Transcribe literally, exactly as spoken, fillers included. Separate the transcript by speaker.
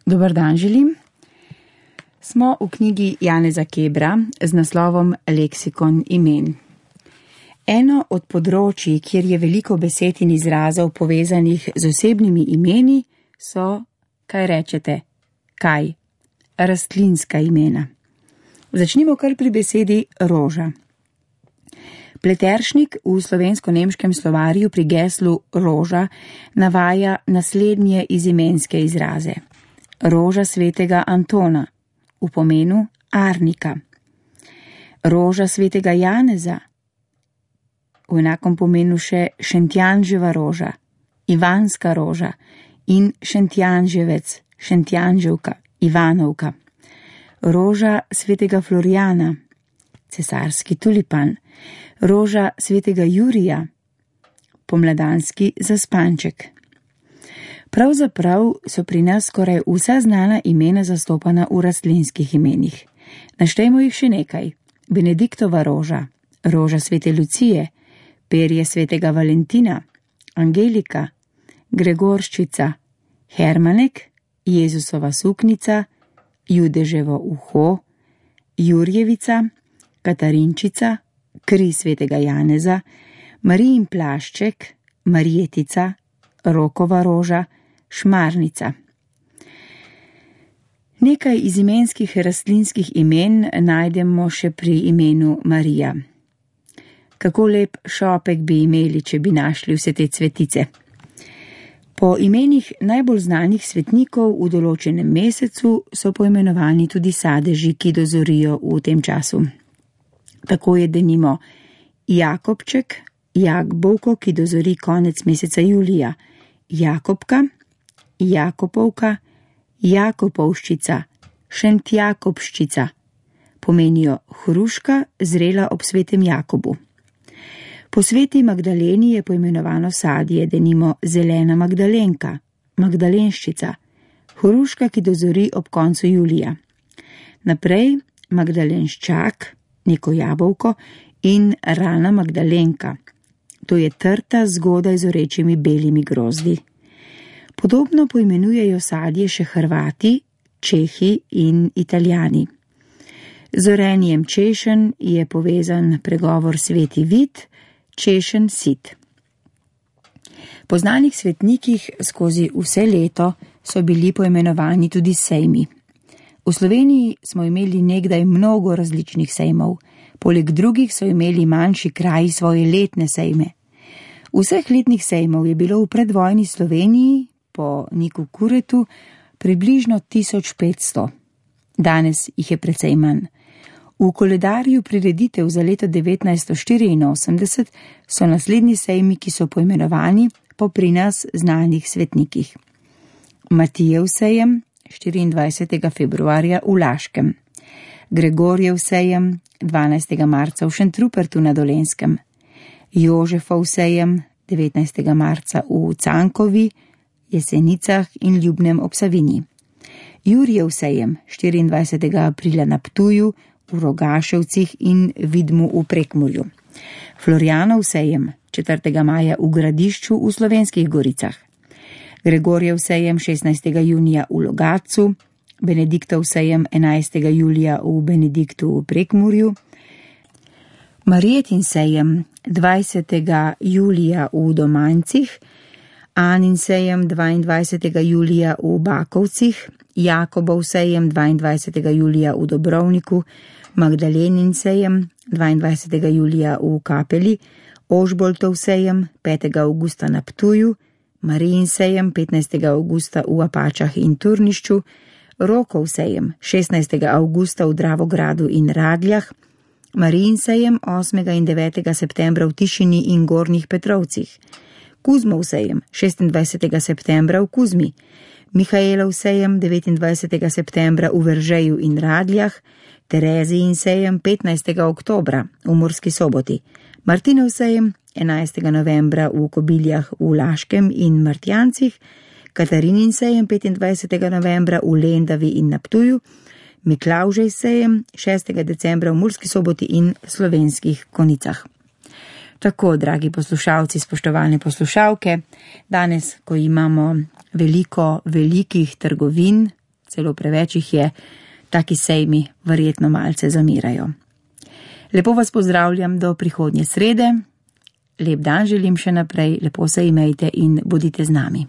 Speaker 1: Dober dan želim. Smo v knjigi Janeza Kebra z naslovom Leksikon imen. Eno od področij, kjer je veliko besed in izrazov povezanih z osebnimi imeni, so, kaj rečete, kaj? Rastlinska imena. Začnimo kar pri besedi roža. Pleteršnik v slovensko-nemškem slovarju pri geslu roža navaja naslednje izimenske izraze. Roža svetega Antona, v pomenu arnika. Roža svetega Janeza, v enakom pomenu še Šentjanževa roža, Ivanska roža in Šentjanževec, Šentjanževka, Ivanovka. Roža svetega Florjana, cesarski tulipan. Roža svetega Jurija, pomladanski zaspanček. Pravzaprav so pri nas skoraj vsa znana imena zastopana v rastlinskih imenih. Naštejmo jih še nekaj. Benediktova roža, roža svete Lucije, perje svetega Valentina, Angelika, Gregorščica, Hermanek, Jezusova suknica, Judeževo uho, Jurjevica, Katarinčica, kri svetega Janeza, Marijin plašček, Marjetica, Rokova roža, Šmarnica. Nekaj izimenskih rastlinskih imen najdemo še pri imenu Marija. Kako lep šopek bi imeli, če bi našli vse te cvetice. Po imenih najbolj znanih svetnikov v določenem mesecu so poimenovani tudi sadeži, ki dozorijo v tem času. Tako je denimo Jakobček, Jakbovko, ki dozori konec meseca julija, Jakobka, Jakopovka, Jakopovščica, Šentjakobščica, pomenijo hruška, zrela ob svetem Jakobu. Po sveti Magdaleni je poimenovano sadje, denimo zelena Magdalenka, Magdalenščica, hruška, ki dozori ob koncu julija. Naprej Magdalenščak, neko jabolko in rana Magdalenka. To je trta zgodaj z orečimi belimi grozdi. Podobno poimenujejo sadje še Hrvati, Čehi in Italijani. Z orenjem češen je povezan pregovor sveti vid, češen sit. Po znanih svetnikih skozi vse leto so bili poimenovani tudi sejmi. V Sloveniji smo imeli nekdaj mnogo različnih sejmov, poleg drugih so imeli manjši kraji svoje letne sejme. Vseh letnih sejmov je bilo v predvojni Sloveniji, po Niku Kuretu, približno tisoč petsto. Danes jih je precej manj. V koledarju prireditev za leto devetnajststo štiriinosemdeset so naslednji sejmi, ki so poimenovani po pri nas znanih svetnikih. Matijev sejem, štiriindvajsetega februarja v Laškem. Gregorjev sejem, dvanajstega marca v Šentrupertu na Dolenjskem. Jožefov sejem, devetnajstega marca v Cankovi, Jesenicah in Ljubnem ob Savinji. Jurjev sejem, štiriindvajsetega aprila na Ptuju, v Rogaševcih in Vidmu v Prekmurju. Florjanov sejem, četrtega maja v Gradišču v Slovenskih Goricah. Gregorjev sejem, šestnajstega junija v Logatcu, Benediktov sejem, enajstega julija v Benediktu v Prekmurju, Marijetin sejem, dvajsetega julija v Domancih, Anin sejem, dvaindvajsetega julija v Bakovcih, Jakobov sejem, dvaindvajsetega julija v Dobrovniku, Magdalenin sejem, dvaindvajsetega julija v Kapeli, Ožboltov sejem, petega avgusta na Ptuju, Marijin sejem, petnajstega avgusta v Apačah in Turnišču, Rokov sejem, šestnajstega avgusta v Dravogradu in Radljah, Marijin sejem, osmega in devetega septembra v Tišini in Gornjih Petrovcih, Kuzmov sejem, šestindvajsetega septembra v Kuzmi, Mihaelov sejem, devetindvajsetega septembra v Veržeju in Radljah, Terezijin sejem, petnajstega oktobra v Murski Soboti, Martinov sejem, enajstega novembra v Kobiljah v Laškem in Martjancih, Katarinin sejem, petindvajsetega novembra v Lendavi in na Ptuju, Miklavžej sejem, šestega decembra v Murski Soboti in Slovenskih Konicah. Tako, dragi poslušalci, spoštovane poslušalke, danes, ko imamo veliko velikih trgovin, celo preveč jih je, taki sejmi verjetno malce zamirajo. Lepo vas pozdravljam do prihodnje srede, lep dan želim še naprej, lepo se imejte in bodite z nami.